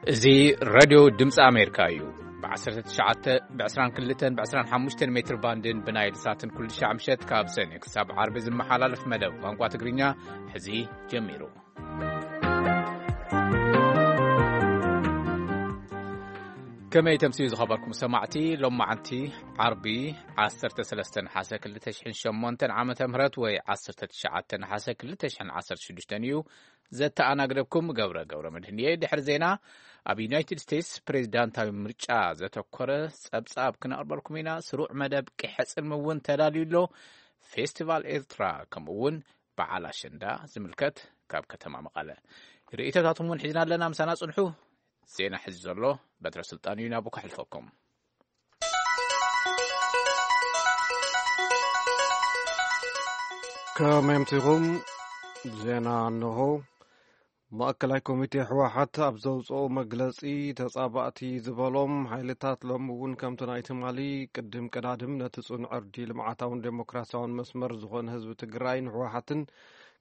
እዚ ሬድዮ ድምፂ ኣሜሪካ እዩ። ብ19፣ ብ22፣ ብ25 ሜትር ባንድን ብናይል ሳትን ኩሉ ሻዕ ምሸት ካብ ሰኔ ክሳብ ዓርቢ ዝመሓላለፍ መደብ ቋንቋ ትግርኛ ሕዚ ጀሚሩ። ከመይ ተምስዩ ዝኸበርኩም ሰማዕቲ? ሎማዓንቲ ዓርቢ 13 ነሓሰ 2008 ዓመተ ምህረት ወይ 19 ነሓሰ 2016 እዩ። ዘተኣናግደኩም ገብረ ገብረ መድህን እየ። ድሕሪ ዜና፣ ኣብ ዩናይትድ ስቴትስ ፕሬዚዳንታዊ ምርጫ ዘተኮረ ጸብጻብ ክነቕርበልኩም ኢና። ስሩዕ መደብ ቂሐ ጽልሚ እውን ተዳልዩ ኣሎ። ፌስቲቫል ኤርትራ ከምኡ እውን በዓል ኣሸንዳ ዝምልከት ካብ ከተማ መቐለ ርእይቶታትኩም እውን ሒዝና ኣለና። ምሳና ጽንሑ። ዜና ሕዚ ዘሎ በትረ ስልጣን እዩ፣ ናብኡ ከሕልፈኩም። ከመይ ኣምሲኹም? ዜና እንሆ። ማእከላይ ኮሚቴ ህወሓት ኣብ ዘውፅኦ መግለፂ፣ ተፃባእቲ ዝበሎም ሓይልታት ሎሚ እውን ከምቲ ናይ ትማሊ ቅድም ቀዳድም ነቲ ፅኑዕ ዕርዲ ልምዓታውን ዴሞክራሲያውን መስመር ዝኾነ ህዝቢ ትግራይ ንህወሓትን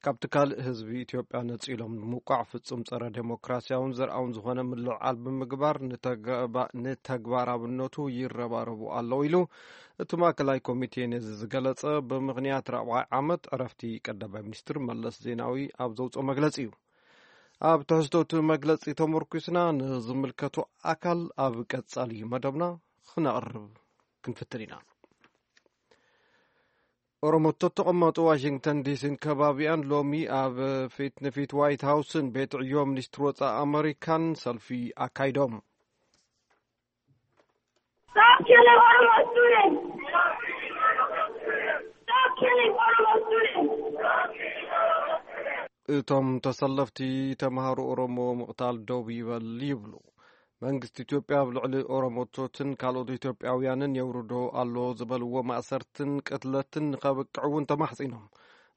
ካብቲ ካልእ ህዝቢ ኢትዮጵያ ነፂሎም ንምውቃዕ ፍጹም ጸረ ዴሞክራሲያውን ዘርኣውን ዝኾነ ምልዕዓል ብምግባር ንተገባ-፣ ንተግባራውነቱ ይረባረቡ ኣለዉ ኢሉ። እቲ ማእከላይ ኮሚቴ ነዚ ዝገለጸ ብምኽንያት ራብዓይ ዓመት ዕረፍቲ ቀዳማይ ሚኒስትር መለስ ዜናዊ ኣብ ዘውፅኦ መግለጺ እዩ። ኣብ ትሕዝቶ እቲ መግለጺ ተመርኩስና ንዝምልከቶ ኣካል ኣብ ቀጻሊ መደብና ክነቕርብ ክንፍትን ኢና። ኦሮሞቶ ተቐመጡ ዋሽንግተን ዲሲን ከባቢኣን ሎሚ ኣብ ፊት ንፊት ዋይት ሃውስን ቤት ዕዮ ሚኒስትሪ ወፃኢ ኣመሪካን ሰልፊ ኣካይዶም። Stop killing Oromo students! Stop killing Oromo students! እቶም ተሰለፍቲ፣ ተምሃሮ ኦሮሞ ምቕታል ደው ይበል ይብሉ። መንግስቲ ኢትዮጵያ ኣብ ልዕሊ ኦሮሞቶትን ካልኦት ኢትዮጵያውያንን የውርዶ ኣሎ ዝበልዎ ማእሰርትን ቅትለትን ንኸብቅዕ እውን ተማሕጺኖም።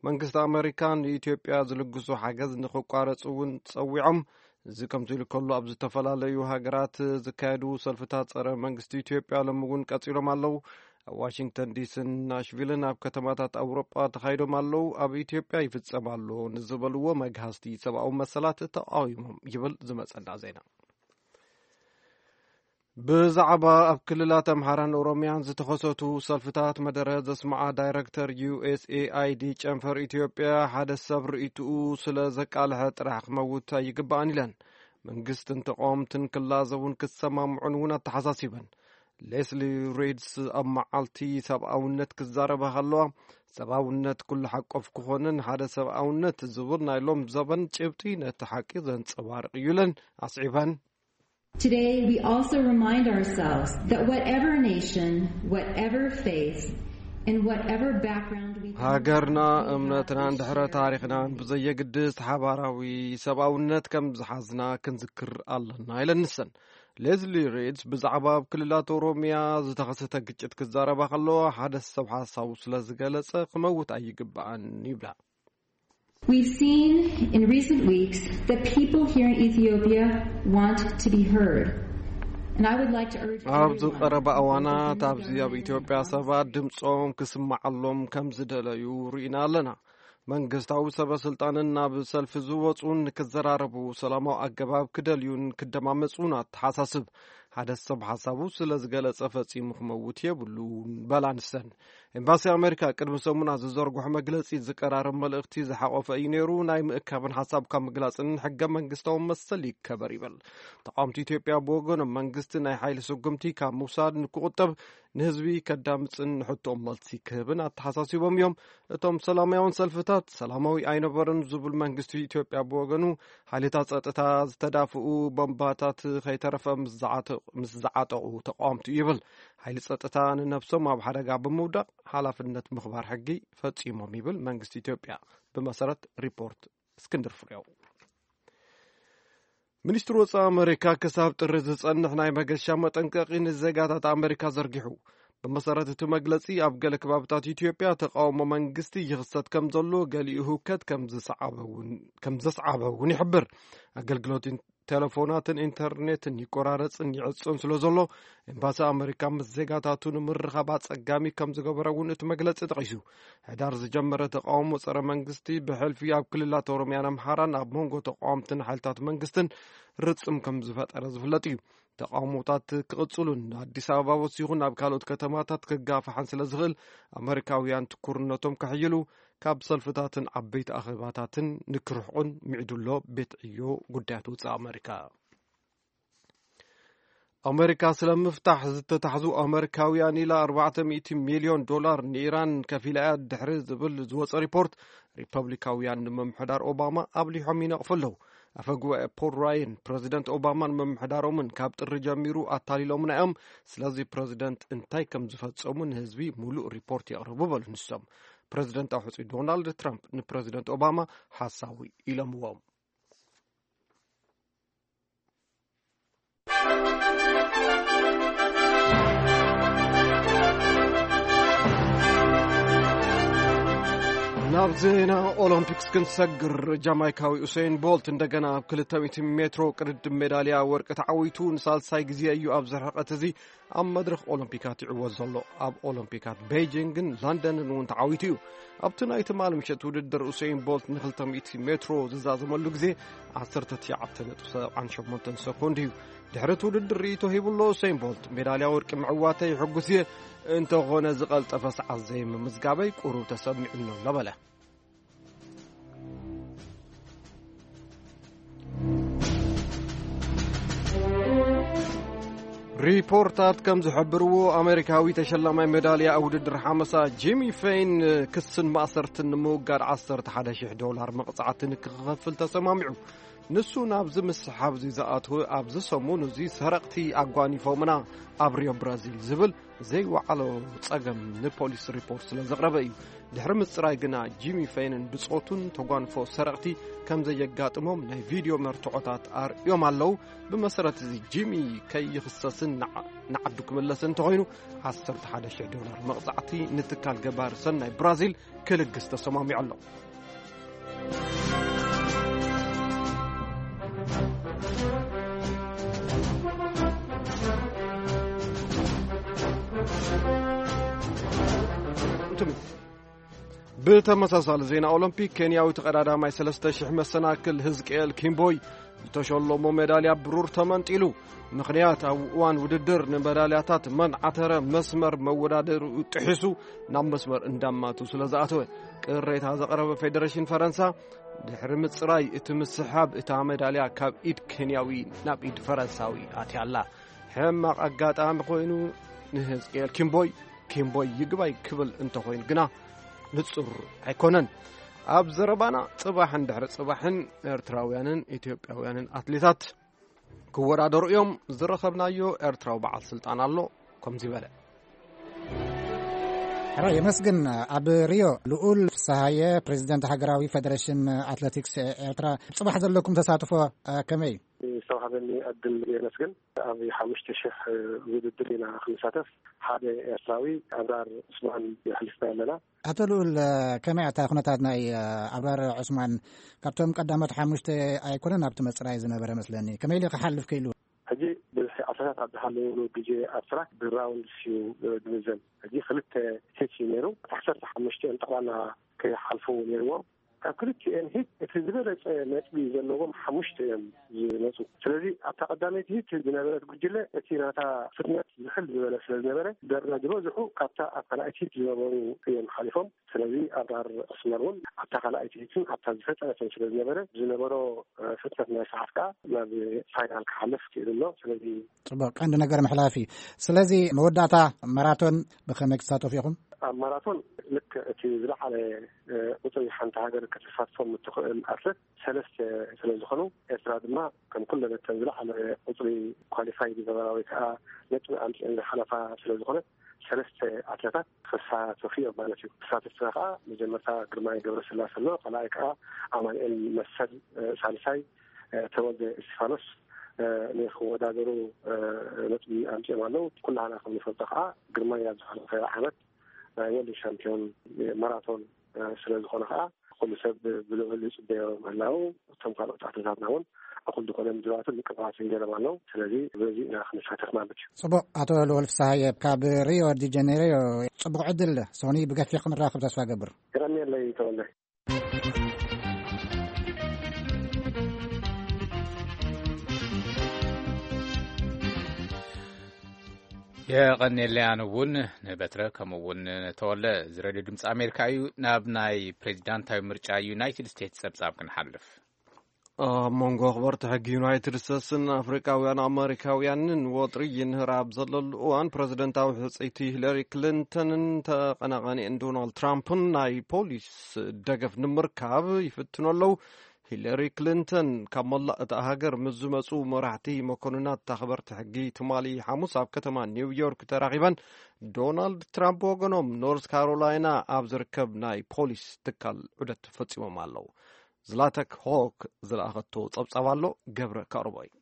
መንግስቲ ኣመሪካ ንኢትዮጵያ ዝልግሱ ሓገዝ ንኽቋረጽ እውን ጸዊዖም። እዚ ከምዚ ኢሉ ከሎ፣ ኣብ ዝተፈላለዩ ሃገራት ዝካየዱ ሰልፍታት ጸረ መንግስቲ ኢትዮጵያ ሎሚ እውን ቀጺሎም ኣለዉ። ኣብ ዋሽንግተን ዲሲን ናሽቪልን ኣብ ከተማታት ኣውሮጳ ተኻይዶም ኣለዉ። ኣብ ኢትዮጵያ ይፍጸም ኣሎ ንዝበልዎ መግሃስቲ ሰብኣዊ መሰላት ተቃዊሞም ይብል ዝመጸና ዜና። ብዛዕባ ኣብ ክልላት ኣምሓራን ኦሮሚያን ዝተኸሰቱ ሰልፍታት መደረ ዘስምዓ ዳይረክተር ዩ ኤስ ኤ ኣይ ዲ ጨንፈር ኢትዮጵያ፣ ሓደ ሰብ ርእይትኡ ስለ ዘቃልሐ ጥራሕ ክመውት ኣይግባእን ኢለን። መንግስትን ተቃወምትን ክላዘቡን ክሰማምዑን እውን ኣተሓሳሲበን። ሌስሊ ሪድስ ኣብ መዓልቲ ሰብኣውነት ክዛረባ ከለዋ፣ ሰብኣውነት ኩሉ ሓቆፍ ክኾንን ሓደ ሰብኣውነት ዝብል ናይ ሎም ዘበን ጭብጢ ነቲ ሓቂ ዘንጸባርቕ እዩ ኢለን ኣስዒበን። Today, we also remind ourselves that whatever nation, whatever faith, and whatever background we come ሃገርና፣ from, we እምነትናን have ድሕረ issues ታሪኽናን ብዘየግድስ ሓባራዊ ሰብኣውነት ከም ዝሓዝና ክንዝክር ኣለና ኢለን ንሰን። ሌዝሊ ሪድስ ብዛዕባ ኣብ ክልላት ኦሮሚያ ዝተኸሰተ ግጭት ክዛረባ ከለዋ፣ ሓደ ሰብ ሓሳቡ ስለ ዝገለጸ ክመውት ኣይግባእን ይብላ። We've seen in recent weeks that people here in Ethiopia want to be heard. And I would like to urge ኣብዚ everyone ቀረባ to እዋናት hold ኣብዚ ኣብ ኢትዮጵያ ሰባት ድምፆም ክስማዓሎም ከም ዝደለዩ ርኢና ኣለና። መንግስታዊ ሰበ ስልጣንን ናብ ሰልፊ ዝወፁን ንክዘራረቡ ሰላማዊ ኣገባብ ክደልዩን ክደማመፁን ኣተሓሳስብ። ሓደ ሰብ ሓሳቡ ስለ ዝገለጸ ፈጺሙ ክመውት የብሉን በላ ንሰን። ኤምባሲ ኣሜሪካ ቅድሚ ሰሙና ዝዘርግሖ መግለጺ ዝቀራረብ መልእኽቲ ዝሓቆፈ እዩ ነይሩ። ናይ ምእካብን ሓሳብካ ምግላጽን ሕገ መንግስታዊ መሰል ይከበር ይብል። ተቃወምቲ ኢትዮጵያ ብወገኖም መንግስቲ ናይ ሓይሊ ስጉምቲ ካብ ምውሳድ ንክቁጠብ ንህዝቢ ከዳምፅን ንሕቶኦም መልሲ ክህብን ኣተሓሳሲቦም እዮም። እቶም ሰላማውያን ሰልፍታት ሰላማዊ ኣይነበረን ዝብል መንግስቲ ኢትዮጵያ ብወገኑ ሓይልታት ጸጥታ ዝተዳፍኡ ቦምባታት ከይተረፈ ምስ ዝዓተ-፣ ምስ ዝዓጠቑ ተቃወምቲ እዩ ይብል። ሓይሊ ጸጥታ ንነብሶም ኣብ ሓደጋ ብምውዳቕ ሓላፍነት ምኽባር ሕጊ ፈጺሞም ይብል መንግስቲ ኢትዮጵያ ብመሰረት ሪፖርት እስክንድር ፍሬው። ሚኒስትሪ ወጻኢ ኣመሪካ ክሳብ ጥሪ ዝጸንሕ ናይ መገሻ መጠንቀቒ ንዜጋታት ኣመሪካ ዘርጊሑ። ብመሰረት እቲ መግለጺ፣ ኣብ ገለ ከባብታት ኢትዮጵያ ተቃውሞ መንግስቲ ይኽሰት ከም ዘሎ፣ ገሊኡ ህውከት ከም ዝሰዓበ እውን፣ ከም ዘስዓበ እውን ይሕብር። ኣገልግሎት ኢን-፣ ቴሌፎናትን ኢንተርኔትን ይቆራረጽን ይዕጾን ስለ ዘሎ፣ ኤምባሲ ኣመሪካ ምስ ዜጋታቱ ንምርኻብ ኣጸጋሚ ከም ዝገበረ እውን እቲ መግለጺ ጠቒሱ። ሕዳር ዝጀመረ ተቃውሞ ጸረ መንግስቲ ብሕልፊ ኣብ ክልላት ኦሮሚያን ኣምሓራን ኣብ መንጎ ተቃወምትን ሓይልታት መንግስትን ርጽም ከም ዝፈጠረ ዝፍለጥ እዩ። ተቃውሞታት ክቕጽሉን ኣዲስ ኣበባ ወሲኹ ናብ ካልኦት ከተማታት ክጋፋሕን ስለ ዝኽእል፣ ኣመሪካውያን ትኩርነቶም ከሕይሉ፣ ካብ ሰልፍታትን ዓበይቲ ኣኼባታትን ንክርሕቁን ሚዕድሎ ቤት ዕዮ ጉዳያት ወጻኢ ኣመሪካ። ኣመሪካ ስለ ምፍታሕ ዝተታሕዙ ኣመሪካውያን ኢላ ኣርባዕተ ሚእቲ ሚልዮን ዶላር ንኢራን ከፊላ እያ ድሕሪ ዝብል ዝወጸ ሪፖርት፣ ሪፐብሊካውያን ንምምሕዳር ኦባማ ኣብሊሖም ይነቕፉ ኣለዉ። ኣፈ ጉባኤ ፖል ራየን፣ ፕረዚደንት ኦባማን ምምሕዳሮምን ካብ ጥሪ ጀሚሩ ኣታሊሎምና እዮም፣ ስለዚ ፕረዚደንት እንታይ ከም ዝፈጸሙ ንህዝቢ ሙሉእ ሪፖርት የቕርቡ በሉ ንሶም። ፕረዚደንታዊ ሕጹይ ዶናልድ ትራምፕ ንፕረዚደንት ኦባማ ሓሳዊ ኢሎምዎም። ናብ ዜና ኦሎምፒክስ ክንሰግር፣ ጃማይካዊ ኡሰይን ቦልት እንደገና ኣብ ክልተ ሚእቲ ሜትሮ ቅድድም ሜዳልያ ወርቂ ተዓዊቱ ንሳልሳይ ግዜ እዩ ኣብዚ ርሕቀት እዚ ኣብ መድረኽ ኦሎምፒካት ይዕወት ዘሎ። ኣብ ኦሎምፒካት ቤይጂንግን ለንደንን እውን ተዓዊቱ እዩ። ኣብቲ ናይ ትማሊ ምሸት ውድድር ኡሰይን ቦልት ን ክልተ ሚእቲ ሜትሮ ዝዛዘመሉ ግዜ ዓሰርተ ትሽዓተ ነጥቢ ሰብዓን ሸሞንተን ሰኮንድ እዩ። ድሕሪ እቲ ውድድር ርእይቶ ሂቡ ኣሎ። ኡሰይን ቦልት፣ ሜዳልያ ወርቂ ምዕዋተይ ሕጉስ እየ፣ እንተኾነ ዝቐልጠፈ ሰዓት ዘይምምዝጋበይ ቁሩብ ተሰሚዑኒ ኣሎ በለ። ሪፖርታት ከም ዝሕብርዎ፣ ኣሜሪካዊ ተሸላማይ ሜዳልያ ኣብ ውድድር ሓመሳ ጂሚ ፌን ክስን ማእሰርትን ንምውጋድ ዓሰርተ ሓደ ሺሕ ዶላር መቕጻዕቲ ንክኸፍል ተሰማሚዑ። ንሱ ናብዚ ምስሓብ እዚ ዝኣተወ ኣብዚ ሰሙን እዚ ሰረቕቲ ኣጓኒፎምና ኣብ ሪዮ ብራዚል ዝብል ዘይወዓሎ ጸገም ንፖሊስ ሪፖርት ስለ ዘቕረበ እዩ። ድሕሪ ምጽራይ ግና ጂሚ ፌንን ብጾቱን ተጓንፎ ሰረቕቲ ከም ዘየጋጥሞም ናይ ቪድዮ መርትዖታት ኣርእዮም ኣለዉ። ብመሰረት እዚ ጂሚ ከይኽሰስን ንዓ-፣ ንዓዱ ክምለስን እንተኾይኑ ዓሰርተ ሓደ ሺሕ ዶላር መቕጻዕቲ ንትካል ገባሪ ሰናይ ብራዚል ክልግስ ተሰማሚዑ ኣሎ። ብተመሳሳሊ ዜና ኦሎምፒክ፣ ኬንያዊ ተቐዳዳማይ ሰለስተ ሽሕ መሰናክል ህዝቅኤል ኪምቦይ ዝተሸለሞ ሜዳልያ ብሩር ተመንጢሉ። ምኽንያት፣ ኣብ እዋን ውድድር ንመዳልያታት መን ዓተረ መስመር መወዳደሪኡ ጥሒሱ ናብ መስመር እንዳማቱ ስለ ዝኣተወ፣ ቅሬታ ዘቕረበ ፌደሬሽን ፈረንሳ፣ ድሕሪ ምጽራይ እቲ ምስሓብ እታ ሜዳልያ ካብ ኢድ ኬንያዊ ናብ ኢድ ፈረንሳዊ ኣትያ ኣላ። ሕማቕ ኣጋጣሚ ኮይኑ ንህዝቅኤል ኪምቦይ፣ ኪምቦይ ይግባይ ክብል እንተኾይኑ ግና ንጹር ኣይኮነን። ኣብ ዘረባና ጽባሕን ድሕሪ ጽባሕን ኤርትራውያንን ኢትዮጵያውያንን ኣትሌታት ክወዳደሩ እዮም። ዝረኸብናዮ ኤርትራዊ በዓል ስልጣን ኣሎ፣ ከምዚ በለ። ሕራይ የመስግን። ኣብ ሪዮ ልኡል ፍስሃየ፣ ፕሬዚደንት ሃገራዊ ፌደሬሽን ኣትሌቲክስ ኤርትራ፣ ጽባሕ ዘለኩም ተሳትፎ፣ እ፣ ከመይ እዩ? ዝተዋህበኒ ዕድል የመስግን። ኣብ ሓሙሽተ ሽሕ ውድድር ኢና ክንሳተፍ። ሓደ ኤርትራዊ ኣብራር ዑስማን የሕሊፍና ኣለና። ኣቶ ልኡል፣ ከመይ ኣታ ኩነታት ናይ ኣብራር ዑስማን? ካብቶም ቀዳሞት ሓሙሽተ ኣይኮነን ኣብቲ መጽራይ ዝነበረ መስለኒ። ከመይ ኢሉ ክሓልፍ ክኢሉ? ሕጂ ብዝሒ ኣትሌታት ኣብ ዝሃለውሉ ግዜ ኣብ ትራክ ብራውንድስ እዩ ዝምዘን። ሕጂ ክልተ ሂት እዩ ነይሩ። ዓሰርተ ሓሙሽተ እዮም ጠቕላላ ክሓልፉ ነይርዎም። ካብ ክልቲኤን ሂት እቲ ዝበለጸ ነጥቢ ዘለዎም ሓሙሽተ እዮም ዝመጹ። ስለዚ ኣብታ ቀዳመይቲ ሂት ዝነበረት ጉጅለ እቲ ናታ ፍጥነት ዝሕል ዝበለ ስለ ዝነበረ፣ ደረጃ ዝበዝሑ ካብታ ኣብ ካልኣይቲ ሂት ዝነበሩ እዮም ሓሊፎም። ስለዚ ኣብራር ዑስማን እውን ኣብታ ካልኣይቲ ሂትን ኣብታ ዝፈጠነትን ስለ ዝነበረ፣ ዝነበሮ፣ እ፣ ፍጥነት ናይ ሰዓት ከኣ ናብ ፋይናል ክሓልፍ ክኢሉ ኣሎ። ስለዚ ጽቡቕ፣ ቀንዲ ነገር ምሕላፍ እዩ። ስለዚ መወዳእታ ማራቶን ብኸመይ ክትሳተፉ ኢኹም? ኣብ ማራቶን ልክዕ እቲ ዝለዓለ፣ እ፣ ቁጽሪ ሓንቲ ሃገር ከተሳትፎም እትኽእል ኣትለት ሰለስተ ስለ ዝኾኑ፣ ኤርትራ ድማ ከም ኩለን እተን ዝለዓለ ቁጽሪ ኳሊፋይ ዝገበራ ወይ ከዓ ነጥቢ ኣምጺአን ዝሓለፋ ስለ ዝኾነ፣ ሰለስተ ኣትለታት ክሳተፉ እዮም ማለት እዩ። ተሳተፍትና ከዓ መጀመርታ ግርማይ ገብረስላሴ ኣሎ፣ ካልኣይ ከዓ ኣማኑኤል መሰል፣ እ፣ ሳልሳይ፣ እ፣ ተወልደ እስቲፋኖስ፣ እ፣ ንክወዳደሩ፣ እ፣ ነጥቢ ኣምጺኦም ኣለዉ። ኩላህና ከም ንፈልጦ ከዓ ግርማይ ኣብ ዝሓለፈ ዓመት ናይ ወርልድ ሻምፒዮን ማራቶን፣ እ፣ ስለ ዝኾነ ከዓ ኩሉ ሰብ ብልዑል ይጽበዮ ምህላዉ፣ እቶም ካልኦት ኣትሌታትና እውን እኹል ዝኾነ ምድላዋትን ምቅባትን ገይሮም ኣለዉ። ስለዚ በዚ ኢና ክንሳተፍ ማለት እዩ። ጽቡቕ። ኣቶ ልዑል ፍስሃየ ካብ ሪዮ ዲ ጀኔሮ፣ ጽቡቕ ዕድል። ሶኒ ብገፊሕ ክንራኸብ ተስፋ ገብር። የቐንየለይ ተወለ። የቐንየለይ ኣነ እውን ንበትረ፣ ከምኡ እውን ንተወለ። እዚ ሬድዮ ድምፂ ኣሜሪካ እዩ። ናብ ናይ ፕሬዚዳንታዊ ምርጫ ዩናይትድ ስቴትስ ጸብጻብ ክንሓልፍ። ኣብ መንጎ ኣኽበርቲ ሕጊ ዩናይትድ ስቴትስን ኣፍሪቃውያን ኣመሪካውያንን ወጥሪ ይንህር ኣብ ዘለሉ እዋን፣ ፕረዚደንታዊ ሕጽይቲ ሂለሪ ክሊንተንን ተቐናቓኒአን ዶናልድ ትራምፕን ናይ ፖሊስ ደገፍ ንምርካብ ይፍትኑ ኣለዉ። ሂለሪ ክሊንተን ካብ መላእ እታ ሃገር ምስ ዝመጹ መራሕቲ መኮንናት ኣኽበርቲ ሕጊ ትማሊ ሓሙስ ኣብ ከተማ ኒውዮርክ ተራኺበን፣ ዶናልድ ትራምፕ ወገኖም ኖርዝ ካሮላይና ኣብ ዝርከብ ናይ ፖሊስ ትካል ዑደት ፈጺሞም ኣለዉ። ዝላተክ ሆክ ዝለኣኸቶ ጸብጻብ ኣሎ፣ ገብረ ከቕርቦ እዩ።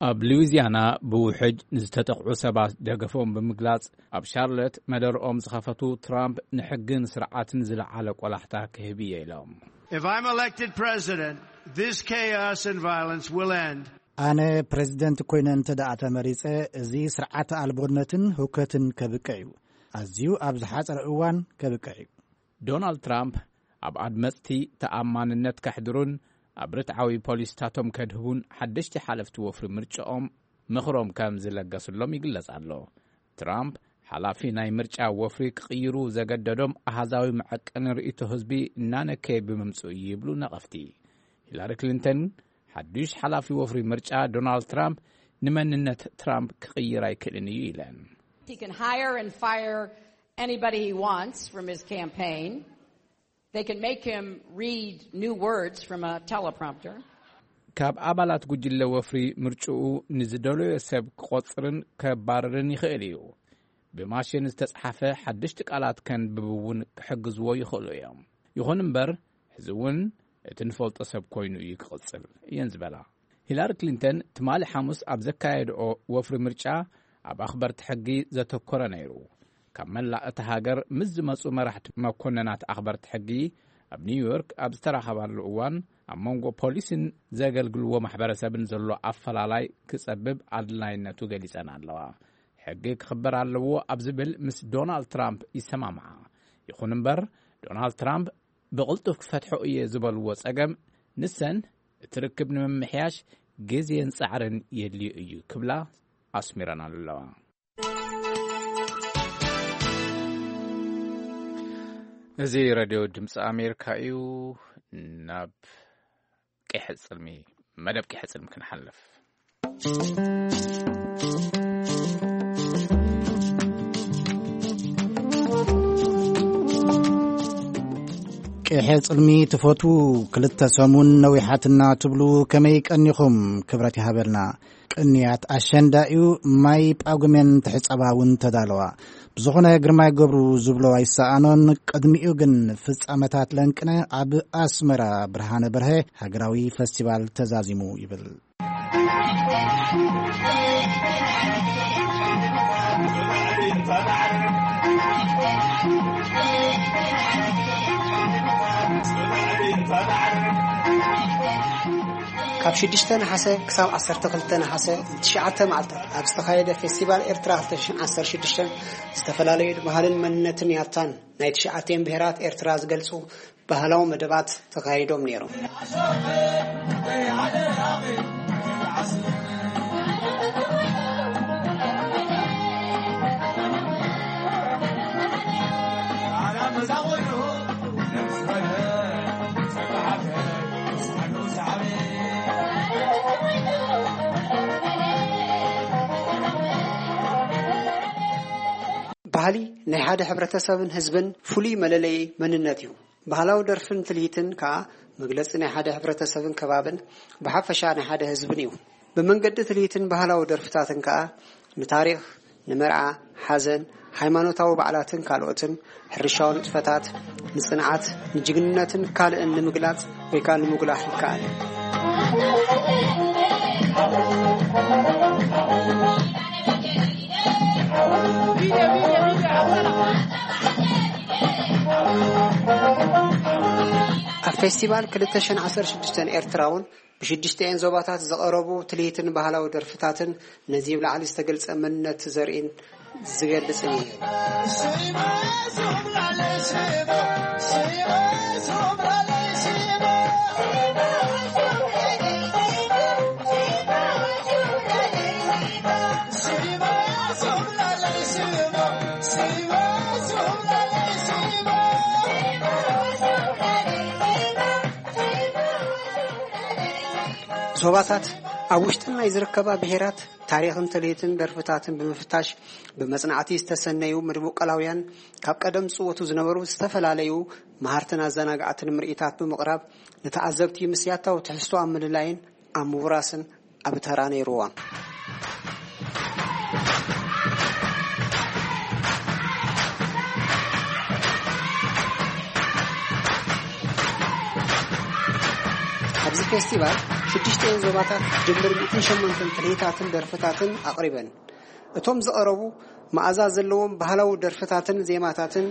ኣብ ሉዊዚያና ብውሕጅ ንዝተጠቕዑ ሰባት ደገፎም ብምግላጽ፣ ኣብ ሻርለት መደርኦም ዝኸፈቱ ትራምፕ፣ ንሕግን ስርዓትን ዝለዓለ ቆላሕታ ክህብ እየ ኢሎም። If I'm elected president, this chaos and violence will end. ኣነ ፕሬዚደንት ኮይነ እንተ ደኣ ተመሪጸ፣ እዚ ስርዓት ኣልቦነትን ህውከትን ከብቅዕ እዩ። ኣዝዩ ኣብ ዝሓጸረ እዋን ከብቅዕ እዩ። ዶናልድ ትራምፕ ኣብ ኣድመጽቲ ተኣማንነት ከሕድሩን ኣብ ርትዓዊ ፖሊሲታቶም ከድህቡን ሓደሽቲ ሓለፍቲ ወፍሪ ምርጫኦም ምኽሮም ከም ዝለገስሎም ይግለጽ ኣሎ። ትራምፕ ሓላፊ ናይ ምርጫ ወፍሪ ክቕይሩ ዘገደዶም ኣሃዛዊ መዐቀኒ ርእይቶ ህዝቢ እናነከየ ብምምጽኡ እዩ ይብሉ ነቐፍቲ። ሂላሪ ክሊንተን ሓድሽ ሓላፊ ወፍሪ ምርጫ ዶናልድ ትራምፕ ንመንነት ትራምፕ ክቕይር ኣይክእልን እዩ ኢለን። He can hire and fire anybody he wants from his campaign. They can make him read new words from a teleprompter. ካብ ኣባላት ጉጅለ ወፍሪ ምርጭኡ ንዝደለዮ ሰብ ክቖጽርን ከባርርን ይኽእል እዩ። ብማሽን ዝተጻሕፈ ሓደሽቲ ቃላት ከንብብ እውን ክሕግዝዎ ይኽእሉ እዮም። ይኹን እምበር፣ ሕዚ እውን እቲ ንፈልጦ ሰብ ኮይኑ እዩ ክቕጽል እየን ዝበላ። ሂላሪ ክሊንተን ትማሊ ሓሙስ ኣብ ዘካየድኦ ወፍሪ ምርጫ፣ ኣብ ኣኽበርቲ ሕጊ ዘተኮረ ነይሩ። ካብ መላእ እታ ሃገር ምስ ዝመጹ መራሕቲ መኮንናት ኣኽበርቲ ሕጊ ኣብ ኒውዮርክ ኣብ ዝተራኸባሉ እዋን፣ ኣብ መንጎ ፖሊስን ዘገልግልዎ ማሕበረሰብን ዘሎ ኣፈላላይ ክጸብብ ኣድላይነቱ ገሊጸን ኣለዋ። ሕጊ ክኽበር ኣለዎ ኣብ ዝብል ምስ ዶናልድ ትራምፕ ይሰማምዓ። ይኹን እምበር፣ ዶናልድ ትራምፕ ብቕልጡፍ ክፈትሖ እየ ዝበልዎ ጸገም፣ ንሰን እቲ ርክብ ንምምሕያሽ ግዜን ጻዕርን የድልዮ እዩ ክብላ ኣስሚረን ኣለዋ። እዚ ሬድዮ ድምፂ ኣሜሪካ እዩ። ናብ ቀይሕ ጽልሚ፣ መደብ ቀይሕ ጽልሚ ክንሓልፍ። ቀይሕ ጽልሚ ትፈትዉ፣ ክልተ ሰሙን ነዊሓትና ትብሉ፣ ከመይ ቀኒኹም? ክብረት ይሃበልና። ቅንያት ኣሸንዳ እዩ፣ ማይ ጳጉሜን ትሕጸባ እውን ተዳለዋ። ብዝኾነ ግርማይ ገብሩ ዝብሎ ኣይሰኣኖን። ቅድሚኡ ግን ፍጻመታት ለንቅነ ኣብ ኣስመራ ብርሃነ በርሀ ሃገራዊ ፈስቲቫል ተዛዚሙ ይብል። ካብ ሽዱሽተ ነሓሰ ክሳብ ዓሰርተ ክልተ ነሓሰ ንትሽዓተ መዓልታት ኣብ ዝተኻየደ ፌስቲቫል ኤርትራ ክልተ ሽሕን ዓሰርተ ሽዱሽተን ዝተፈላለዩ ባህልን መንነትን ያታን ናይ ትሽዓቲኤን ብሄራት ኤርትራ ዝገልጹ ባህላዊ መደባት ተኻይዶም ነይሮም። ባህሊ ናይ ሓደ ሕብረተሰብን ህዝብን ፍሉይ መለለዪ መንነት እዩ። ባህላዊ ደርፍን ትልሂትን ከኣ መግለጺ ናይ ሓደ ሕብረተሰብን ከባብን ብሓፈሻ ናይ ሓደ ህዝብን እዩ። ብመንገዲ ትልሂትን ባህላዊ ደርፍታትን ከኣ ንታሪኽ፣ ንመርዓ፣ ሓዘን፣ ሃይማኖታዊ በዓላትን ካልኦትን፣ ሕርሻዊ ንጥፈታት፣ ንጽንዓት፣ ንጅግንነትን ካልእን ንምግላጽ ወይ ከኣ ንምጉላሕ ይከኣል። ኣብ ፌስቲቫል ክልተ ሽሕን ዓሰርተ ሽዱሽተን ኤርትራ እውን ብሽዱሽተኤን ዞባታት ዝቐረቡ ትልሂትን ባህላዊ ደርፍታትን ነዚ ብላዕሊ ዝተገልጸ መንነት ዘርእን ዝገልጽን እዩ። ዞባታት ኣብ ውሽጥን ናይ ዝርከባ ብሄራት ታሪኽን ትልሂትን ደርፍታትን ብምፍታሽ፣ ብመጽናዕቲ ዝተሰነዩ መድቦቀላውያን ካብ ቀደም ዝጽወቱ ዝነበሩ ዝተፈላለዩ መሃርትን ኣዘናጋዕትን ምርኢታት ብምቕራብ፣ ንተዓዘብቲ ምስ ያታዊ ትሕዝቶ ኣብ ምልላይን ኣብ ምውራስን ኣብ ተራ ነይርዎም። ኣብዚ ፌስቲቫል ሽዱሽተ ዞባታት ድምር ሚእትን ሸሞንተን ትልሂታትን ደርፍታትን ኣቕሪበን። እቶም ዝቐረቡ መኣዛ ዘለዎም ባህላዊ ደርፍታትን ዜማታትን፣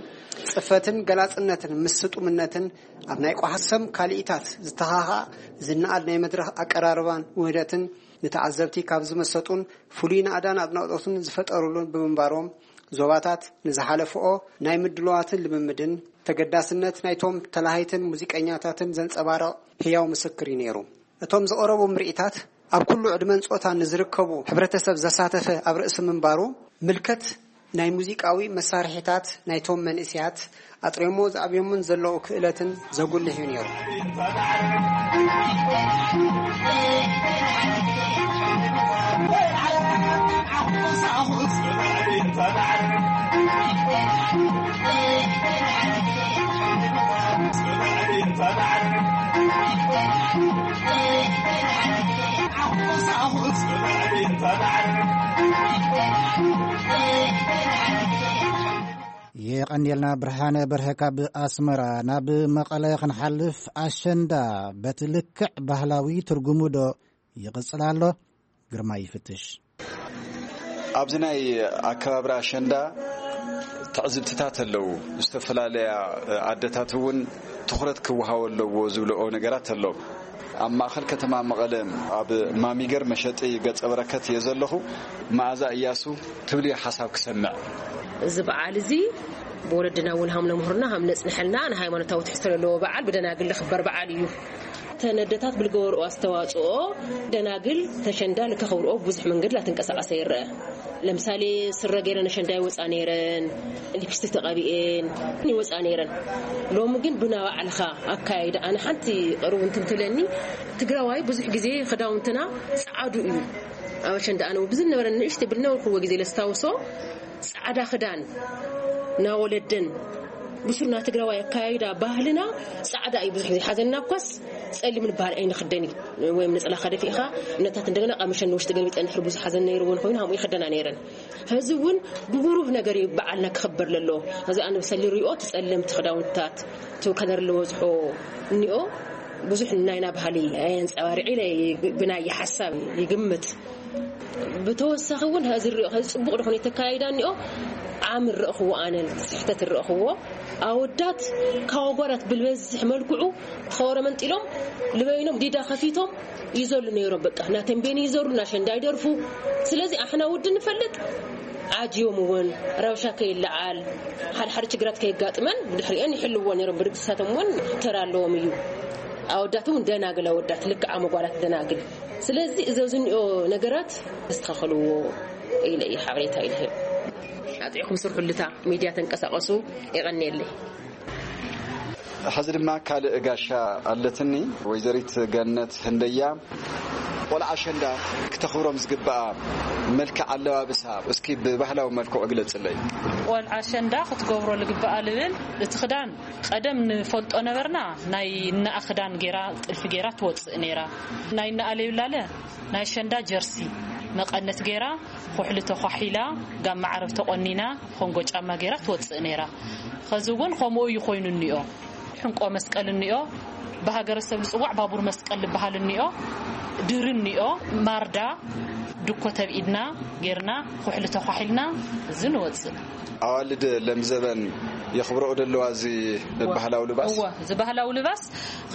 ጽፈትን ገላጽነትን ምስ ስጡምነትን ኣብ ናይ ቋሕሰም ካልኢታት ዝተኻኽኣ ዝነኣድ ናይ መድረኽ ኣቀራርባን ውህደትን ንተዓዘብቲ ካብ ዝመሰጡን ፍሉይ ናእዳን ኣድናቖትን ዝፈጠሩሉን ብምንባሮም፣ ዞባታት ንዝሓለፍኦ ናይ ምድልዋትን ልምምድን ተገዳስነት ናይቶም ተላሃይትን ሙዚቀኛታትን ዘንጸባርቕ ህያው ምስክር እዩ ነይሩ። እቶም ዝቐረቡ ምርኢታት ኣብ ኩሉ ዕድመን ጾታን ንዝርከቡ ሕብረተሰብ ዘሳተፈ ኣብ ርእሲ ምንባሩ፣ ምልከት ናይ ሙዚቃዊ መሳርሒታት ናይቶም መንእሰያት ኣጥሬሞ ዝኣብዮምን ዘለዉ ክእለትን ዘጉልሕ እዩ ነይሩ። የቐንየልና ብርሃነ በርሀ ካብ ኣስመራ። ናብ መቐለ ክንሓልፍ፣ ኣሸንዳ በቲ ልክዕ ባህላዊ ትርጉሙ ዶ ይቕጽል ኣሎ? ግርማይ ይፍትሽ። ኣብዚ ናይ ኣከባብራ ኣሸንዳ ትዕዝብትታት ኣለዉ። ዝተፈላለያ ኣደታት እውን ትኹረት ክወሃቦ ኣለዎ ዝብልኦ ነገራት ኣሎ። ኣብ ማእኸል ከተማ መቐለ ኣብ ማሚገር መሸጢ ገጸ በረከት እየ ዘለኹ። መኣዛ እያሱ ትብልዮ ሓሳብ ክሰምዕ። እዚ በዓል እዚ ብወለድና እውን ሃም ነምህርና ሃም ነጽንሐልና ንሃይማኖታዊ ትሕዝቶ ዘለዎ በዓል ብደናግል ዝኽበር በዓል እዩ። ተነደታት ብልገበርኦ ኣስተዋጽኦ ደናግል ተሸንዳ ልከኸብርኦ ብዙሕ መንገድ ላተንቀሳቐሰ ይረአ። ለምሳሌ ስረ ገይረን ኣሸንዳ ይወፃ ነይረን፣ ሊፕስቲክ ተቐቢኤን ይወፃ ነይረን። ሎሚ ግን ብና ባዕልኻ ኣካይዳ፣ ኣነ ሓንቲ ቅርብ እንትን ትብለኒ፣ ትግራዋይ ብዙሕ ግዜ ክዳውንትና ፃዕዱ እዩ። ኣብ ኣሸንዳ ኣነ ብዙ ነበረ ንእሽተይ ብልነበርኩዎ ግዜ ለስታውሶ ፃዕዳ ክዳን ናወለደን ብሱርና ትግራዋይ ኣካያይዳ ባህልና ፃዕዳ እዩ። ብዙሕ ግዜ ሓዘንና እኳስ ጸሊም ንበሃል ኣይንኽደን እዩ። ወይም ነፀላኻ ደፊእኻ እነታት እንደገና ቀምሸን ንውሽጢ ገልቢጠን ድሕሪ ብዙሕ ሓዘን ነይርዎ ንኮይኑ ሃምኡ ይኽደና ነይረን። ሕዚ እውን ብብሩህ ነገር እዩ በዓልና ክኽበር ለሎ። እዚ ኣነ ብሰሊ ሪኦ እቲ ጸለምቲ ክዳውንትታት እቲ ከለር ዝበዝሖ እኒኦ ብዙሕ ናይና ባህሊ ኣየንፀባርዒ ኢለ ብናይ ሓሳብ ይግምት። ብተወሳኺ እውን ሕዚ ሪኦ ሕዚ ፅቡቕ ዝኾነ ተካይዳ እኒኦ ዓም ረእኽዎ ኣነ ስሕተት ረእኽዎ ኣወዳት ካብ ኣጓላት ብልበዝሕ መልክዑ ኸወረ መንጢሎም ልበይኖም ዲዳ ከፊቶም ይዘሉ ነይሮም። በቃ እናተንቤን ይዘሩ እናሸንዳ ይደርፉ። ስለዚ ኣሕና ውድ ንፈልጥ ዓጅዮም እውን ረብሻ ከይለዓል ሓደ ሓደ ችግራት ከየጋጥመን ብድሕሪአን ይሕልዎ ነይሮም። ብድግሳቶም እውን ተራ ኣለዎም እዩ። ኣወዳት እውን ደናግል ኣወዳት ልክዓ መጓላት ደናግል። ስለዚ እዚ ዝኒኦ ነገራት ተስተኻኸልዎ ኢለ እየ ሓበሬታ ኢልህብ። ኣጥዕኹም ስርሑልታ ሚድያ ተንቀሳቐሱ። የቐንየለይ። ሕዚ ድማ ካልእ ጋሻ ኣለትኒ፣ ወይዘሪት ገነት ህንደያ። ቆልዓ ኣሸንዳ ክተኽብሮም ዝግብኣ መልክዕ ኣለባብሳ እስኪ ብባህላዊ መልክዑ ግለጽለይ። ቆልዓ ኣሸንዳ ክትገብሮ ልግብኣ ልብል እቲ ክዳን ቀደም ንፈልጦ ነበርና፣ ናይ ነኣ ክዳን ጌራ ጥልፊ ጌራ ትወጽእ ኔራ። ናይ ነኣ ለይብላለ ናይ ኣሸንዳ ጀርሲ መቐነት ጌራ፣ ኩሕሊ ተኳሒላ፣ ጋማ ዓረብ ተቖኒና፣ ኮንጎ ጫማ ጌራ ትወጽእ ኔራ። ኸዚ እውን ከምኡ እዩ ኮይኑ እኒኦ። ሕንቆ መስቀል እኒኦ፣ ብሃገረሰብ ዝጽዋዕ ባቡር መስቀል ዝበሃል እኒኦ፣ ድሪ እኒኦ፣ ማርዳ፣ ድኮ ተብኢድና ጌርና፣ ኩሕሊ ተኳሒልና፣ እዚ ንወጽእ። ኣዋልድ ለምዘበን የኽብረኦ ደለዋ እዚ እወ። ባህላዊ ልባስ? እወ፣ እዚ ባህላዊ ልባስ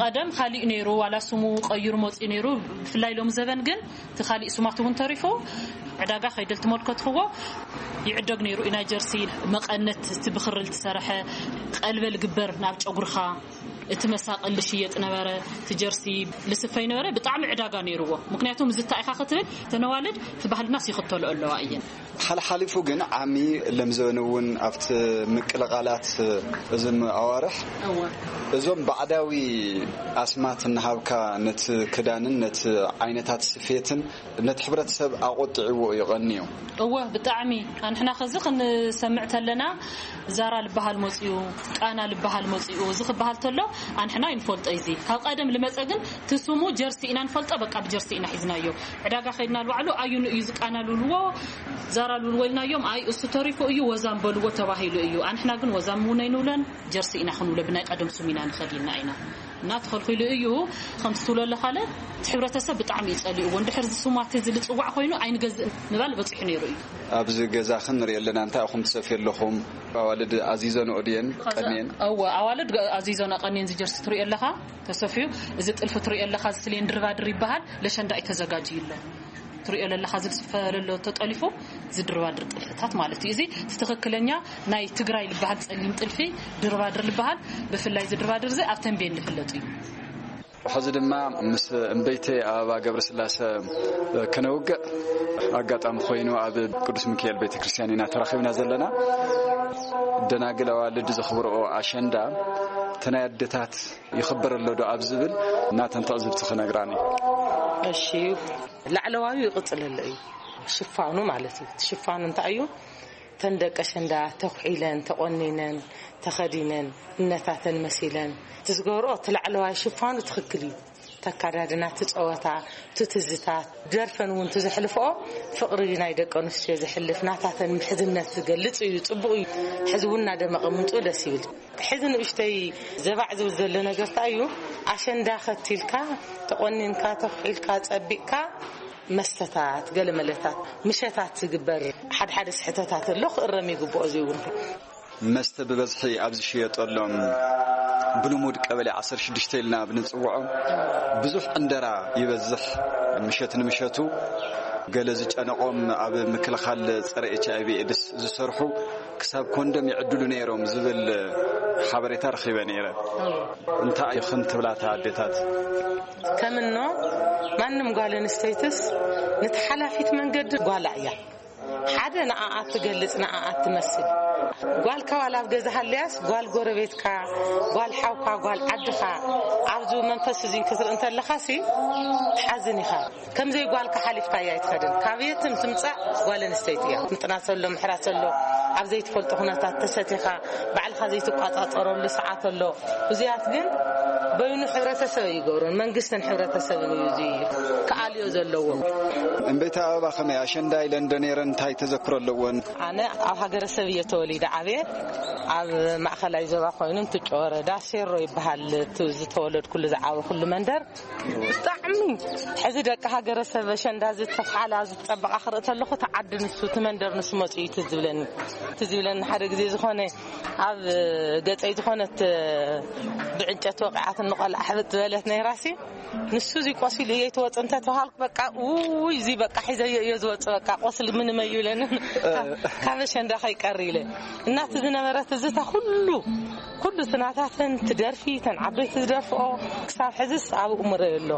ቀደም ካሊእ ነይሩ፣ ዋላ ስሙ ቀይሩ መጺኡ ነይሩ። ብፍላይ ሎም ዘበን ግን እቲ ካሊእ ስማት እውን ተሪፉ፣ ዕዳጋ ከይደ ልትመልከትኽዎ ይዕደግ ነይሩ እዩ። ናይ ጀርሲ መቐነት፣ እቲ ብኽሪ ልትሰርሐ ቀልበ ልግበር ናብ ጨጉርኻ፣ እቲ መሳቕል ልሽየጥ ነበረ፣ እቲ ጀርሲ ልስፈይ ነበረ። ብጣዕሚ ዕዳጋ ነይርዎ። ምክንያቱ፣ እዚ እንታይ ኢኻ ክትብል፣ ተነዋልድ እቲ ባህልናስ ይኽተሎ ኣለዋ እየን። ሓልሓሊፉ ግን ዓሚ ለምዘበን እውን ኣብቲ ምቅልቓላት እዝም ኣዋርሕ እወ። እዞም ባዕዳዊ ኣስማት እናሃብካ ነቲ ክዳንን ነቲ ዓይነታት ስፌትን ነቲ ሕብረተሰብ ኣቆጢዕዎ እዩ ቀንዩ። እወ፣ ብጣዕሚ። ኣንሕና ኸዚ ክንሰምዕ ተለና፣ ዛራ ልበሃል መጺኡ፣ ቃና ልበሃል መጺኡ፣ እዚ ክበሃል ተሎ፣ ኣንሕና ይንፈልጦ። እዚ ካብ ቀደም ልመጸ ግን፣ እቲ ስሙ ጀርሲ ኢና ንፈልጦ። በቃ፣ ብጀርሲ ኢና ሒዝናዮ። ዕዳጋ ከይድና፣ ንባዕሉ ኣዩን እዩ፣ እዚ ቃና ልብልዎ፣ ዛራ ልብልዎ ኢልናዮም። ኣይ፣ እሱ ተሪፉ እዩ፣ ወዛም በልዎ ተባሂሉ እዩ። ኣንሕና ግን ወዛም እውን ኣይንብለን፣ ጀርሲ ኢና ክንብሎ፣ ብናይ ቀደም ስሙ ኢና ንኸድ ኢልና ኢና። እና ተኸልኺሉ እዩ። ከምቲ ትብሎ ኣለኻለ፣ እቲ ሕብረተሰብ ብጣዕሚ እዩ ጸሊእዎ። እንድሕር እዚ ስማት እዚ ልጽዋዕ ኮይኑ፣ ኣይንገዝእን ምባል በጺሑ ነይሩ እዩ። ኣብዚ ገዛኽን ንሪኦ ኣለና፣ እንታይ ኢኹም ትሰፍዩ ኣለኹም? ኣዋልድ ኣዚዘንኦ ድየን? ከዛ ቀንየን? እወ፣ ኣዋልድ ገ-፣ ኣዚዘንኦ ቀንየን። እዚ ጀርሲ ትሪኦ ኣለኻ፣ ተሰፍዩ። እዚ ጥልፊ ትሪኦ ኣለኻ፣ እዚ ስሌን ድርባድር ይበሃል። ለሸንዳ እዩ ተዘጋጅዩ ኣሎ። ትሪኦ ለለኻ፣ እዚ ዝፈለሎ ተጠሊፉ፣ እዚ ድርባድር ጥልፍታት ማለት እዩ። እዚ እቲ ትኽክለኛ ናይ ትግራይ ልበሃል ጸሊም ጥልፊ ድርባድር ልበሃል። ብፍላይ እዚ ድርባድር እዚ ኣብ ተንቤን ዝፍለጥ እዩ። ሕዚ ድማ ምስ እምበይተይ ኣበባ ገብረስላሰ ከነውግዕ ኣጋጣሚ ኮይኑ ኣብ ቅዱስ ሚካኤል ቤተክርስትያን ኢና ተራኺብና ዘለና። ደናግል ኣዋልድ ዘኽብርኦ ኣሸንዳ፣ እቲ ናይ ኣደታት ይኽበር ኣሎ ዶ ኣብ ዝብል ናተን ትዕዝብቲ ክነግራኒ። እሺ፣ ላዕለዋዩ ይቕጽል ኣሎ እዩ። ሽፋኑ ማለት እዩ። እቲ ሽፋኑ እንታይ እዩ? ተን ደቂ ኣሸንዳ ተኹዒለን፣ ተቖኒነን፣ ተኸዲነን፣ እነታተን መሲለን፣ እቲ ዝገብርኦ እቲ ላዕለዋይ ሽፋኑ ትኽክል እዩ። እቲ ኣካዳድና፣ እቲ ጸወታ፣ እቲ ትዝታ፣ ደርፈን እውን እቲ ዘሕልፍኦ ፍቕሪ ናይ ደቂ ኣንስትዮ ዘሕልፍ፣ ናታተን ምሕዝነት ዝገልጽ እዩ። ጽቡቕ እዩ። ሕዚ እውን እናደመቐ ምምጽኡ ደስ ይብል። ሕዚ ንእሽተይ ዘባዕ ዝብል ዘሎ ነገር እንታይ እዩ? ኣሸንዳ ከቲልካ፣ ተቖኒንካ፣ ተኹዒልካ፣ ጸቢቕካ፣ መስተታት፣ ገለ መለታት፣ ምሸታት ዝግበር ሓደ ሓደ ስሕተታት ኣሎ፣ ክእረም ይግብኦ። እዚ እውን መስተ ብበዝሒ ኣብ ዝሽየጠሎም፣ ብልሙድ ቀበሌ ዓሰርተ ሽዱሽተ ኢልና ብንጽውዖ፣ ብዙሕ ዕንደራ ይበዝሕ። ምሸት ንምሸቱ ገለ ዝጨነቖም ኣብ ምክልኻል ጸረ ኤች ኣይ ቪ ኤድስ ዝሰርሑ ክሳብ ኮንዶም ይዕድሉ ነይሮም ዝብል ሓበሬታ ረኺበ ነይረ። እንታይ ኢኽን ትብላ እታ ኣዴታት? ከምኖ ማንም ጓል ኣንስተይትስ ነቲ ሓላፊት መንገዲ ጓላ እያ። ሓደ ንኣኣ ትገልጽ፣ ንኣኣ ትመስል። ጓልካ ዋላ ኣብ ገዛ ሃልያስ፣ ጓል ጎረቤትካ፣ ጓል ሓውካ፣ ጓል ዓድኻ፣ ኣብዚ መንፈስ እዚ ክትርኢ እንተለኻሲ ትሓዝን ኢኻ። ከምዘይ ጓልካ ሓሊፍካ እያ ኣይትኸድን። ካብ የትም ትምጻእ ጓል ኣንስተይቲ እያ። ምጥናስ ኣሎ፣ ምሕራስ ኣሎ፣ ኣብ ዘይትፈልጦ ኩነታት ተሰቲኻ፣ ባዕልኻ ዘይትቋጻጸረሉ ሰዓት ኣሎ። እዚኣት ግን በይኑ ሕብረተሰብ ይገብሮን መንግስትን ሕብረተሰብን እዩ እዚ ክኣልዮ ዘለዎ። እምበይታ ኣበባ ከመይ ኣሸንዳ ኢለን ዶ ነይረን? እንታይ ተዘክሮ ኣለወን? ኣነ ኣብ ሃገረሰብ እየ ተወሊደ ዓብየ። ኣብ ማእኸላይ ዞባ ኮይኑ እንትጮ ወረዳ ሴሮ ይበሃል። እቲ ዝተወለድኩሉ ዝዓበኹሉ መንደር ብጣዕሚ ሕዚ ደቂ ሃገረሰብ ኣሸንዳ ዝተፍሓላ ዝፀበቓ ክርኢ ተለኹ፣ እቲ ዓዲ ንሱ፣ እቲ መንደር ንሱ መፂኡ እዩ ትዝ ዝብለኒ። ትዝ ዝብለኒ ሓደ ግዜ ዝኾነ ኣብ ገፀይ ዝኾነት ብዕንጨት ወቂዓትኒ ቆልዓ ሕብጥ ዝበለት ነይራሲ፣ ንሱ እዚ ቆሲሉ እየ ትወፅ እንተተባሃልኩ፣ በቃ ውይ፣ እዚ በቃ ሒዘዮ እየ ዝወፅ፣ በቃ ቆስሊ ምንም ኣይብለንን፣ ካብ ኣሸንዳ ከይቀር ኢለ። እናቲ ዝነበረ ትዝታ ኩሉ፣ ኩሉ ስናታተን ትደርፊ፣ ተን ዓበይቲ ዝደርፍኦ፣ ክሳብ ሕዝስ ኣብ እምሮይ ኣሎ።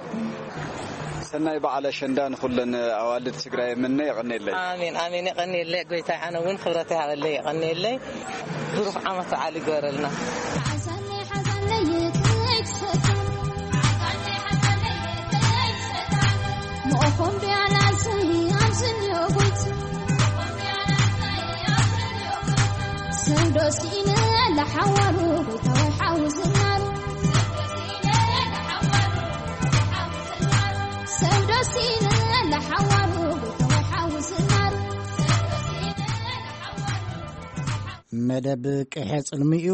ሰናይ በዓል ኣሸንዳ ንኹለን ኣዋልድ ትግራይ ምነ። የቐኔለይ። ኣሜን፣ ኣሜን። የቐኔለይ ጎይታይ፣ ኣነ እውን ክብረት ይሃበለይ፣ የቐኔለይ። ብሩኽ ዓመት በዓል ይግበረልና። ሓዘነይ ሓዘነይ ከይትሰከም፣ መኦኾም ቢያናሰይ ኣብ ዝንዮ ጎይት፣ ሰብ ዶ ስኢነ ለሓዋሩ ጎይታ ወይ ሓው ዝናሩ፣ ሰብ ዶ ስኢነ ለሓዋሩ ጎይታ ወይ ሓው ዝናሩ። መደብ ቅሐ ጽልሚ'ዩ፣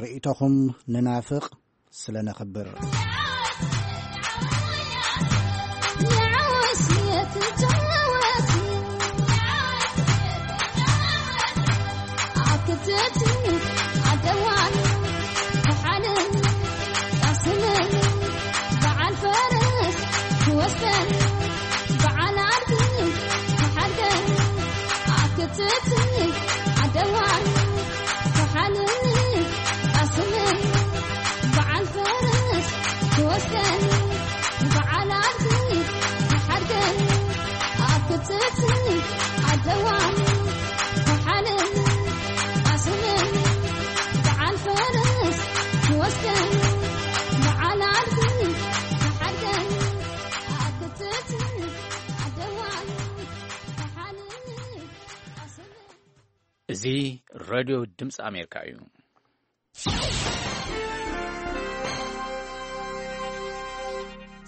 ርእይቶኹም ንናፍቕ። ስለ ነኽብር። እዚ ሬድዮ ድምፂ ኣሜሪካ እዩ።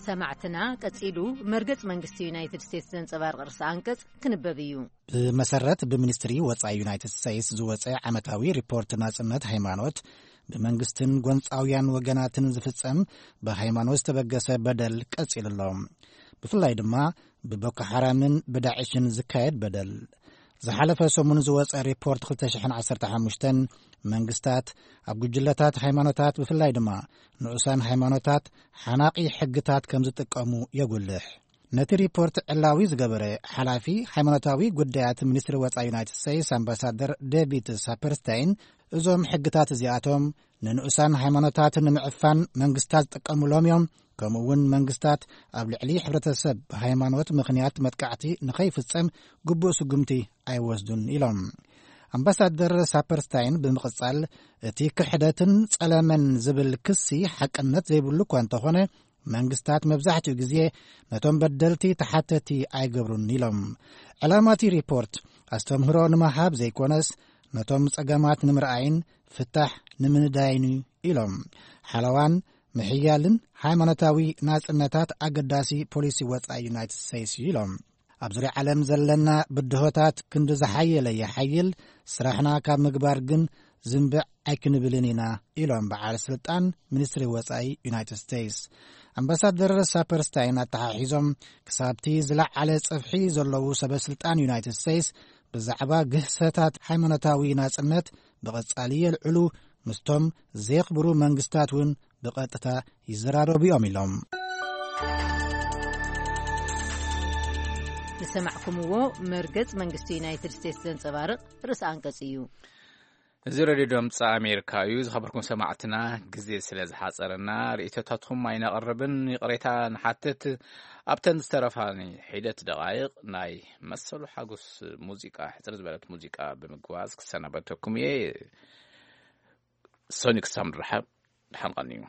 ሰማዕትና፣ ቀጺሉ መርገጽ መንግስቲ ዩናይትድ ስቴትስ ዘንጸባርቕ ርእሰ ኣንቀጽ ክንበብ እዩ። ብመሰረት ብሚኒስትሪ ወጻኢ ዩናይትድ ስቴትስ ዝወጸ ዓመታዊ ሪፖርት ናጽነት ሃይማኖት፣ ብመንግስትን ጎንጻውያን ወገናትን ዝፍጸም ብሃይማኖት ዝተበገሰ በደል ቀጺሉ ኣሎ። ብፍላይ ድማ ብቦኮ ሓራምን ብዳዕሽን ዝካየድ በደል። ዝሓለፈ ሰሙን ዝወጸ ሪፖርት ክልተ ሽሕን ዓሰርተ ሓሙሽተን መንግስታት ኣብ ጉጅለታት ሃይማኖታት፣ ብፍላይ ድማ ንኡሳን ሃይማኖታት፣ ሓናቒ ሕግታት ከም ዝጥቀሙ የጉልሕ። ነቲ ሪፖርት ዕላዊ ዝገበረ ሓላፊ ሃይማኖታዊ ጉዳያት ሚኒስትሪ ወጻኢ ዩናይትድ ስቴትስ ኣምባሳደር ዴቪድ ሳፐርስታይን፣ እዞም ሕግታት እዚኣቶም ንንኡሳን ሃይማኖታት ንምዕፋን መንግስታት ዝጥቀሙሎም እዮም። ከምኡ እውን መንግስታት ኣብ ልዕሊ ሕብረተሰብ ብሃይማኖት ምኽንያት መጥቃዕቲ ንኸይፍጸም ግቡእ ስጉምቲ ኣይወስዱን ኢሎም። ኣምባሳደር ሳፐርስታይን ብምቕጻል፣ እቲ ክሕደትን ጸለመን ዝብል ክሲ ሓቅነት ዘይብሉ እኳ እንተኾነ፣ መንግስታት መብዛሕትኡ ግዜ ነቶም በደልቲ ተሓተቲ ኣይገብሩን ኢሎም። ዕላማ እቲ ሪፖርት ኣስተምህሮ ንምሃብ ዘይኮነስ፣ ነቶም ጸገማት ንምርኣይን ፍታሕ ንምንዳይን እዩ ኢሎም። ሓለዋን ምሕያልን ሃይማኖታዊ ናጽነታት ኣገዳሲ ፖሊሲ ወጻኢ ዩናይትድ ስቴትስ እዩ ኢሎም። ኣብ ዙርያ ዓለም ዘለና ብድሆታት ክንዲ ዝሓየለ ይሓይል፣ ስራሕና ካብ ምግባር ግን ዝንብዕ ኣይክንብልን ኢና ኢሎም በዓል ስልጣን ሚኒስትሪ ወጻኢ ዩናይትድ ስቴትስ። ኣምባሳደር ሳፐርስታይን ኣተሓሒዞም፣ ክሳብቲ ዝለዓለ ጽፍሒ ዘለዉ ሰበ ስልጣን ዩናይትድ ስቴትስ ብዛዕባ ግህሰታት ሃይማኖታዊ ናጽነት ብቐጻሊ የልዕሉ፣ ምስቶም ዘየኽብሩ መንግስታት እውን ብቐጥታ ይዘራረቡ እዮም ኢሎም። ዝሰማዕኩምዎ መርገጽ መንግስቲ ዩናይትድ ስቴትስ ዘንጸባርቕ ርእሰ ኣንቀጽ እዩ። እዚ ሬድዮ ድምፂ ኣሜሪካ እዩ። ዝኸበርኩም ሰማዕትና፣ ግዜ ስለ ዝሓፀረና ርእይቶታትኩም ኣይነቕርብን፣ ይቕሬታ ንሓትት። ኣብተን ዝተረፋኒ ሒደት ደቓይቕ ናይ መሰሉ ሓጎስ ሙዚቃ፣ ሕፅር ዝበለት ሙዚቃ ብምግባዝ ክሰናበተኩም እየ። ሶኒ ክሳብ ንራኸብ፣ ደሓን ቀንዩ።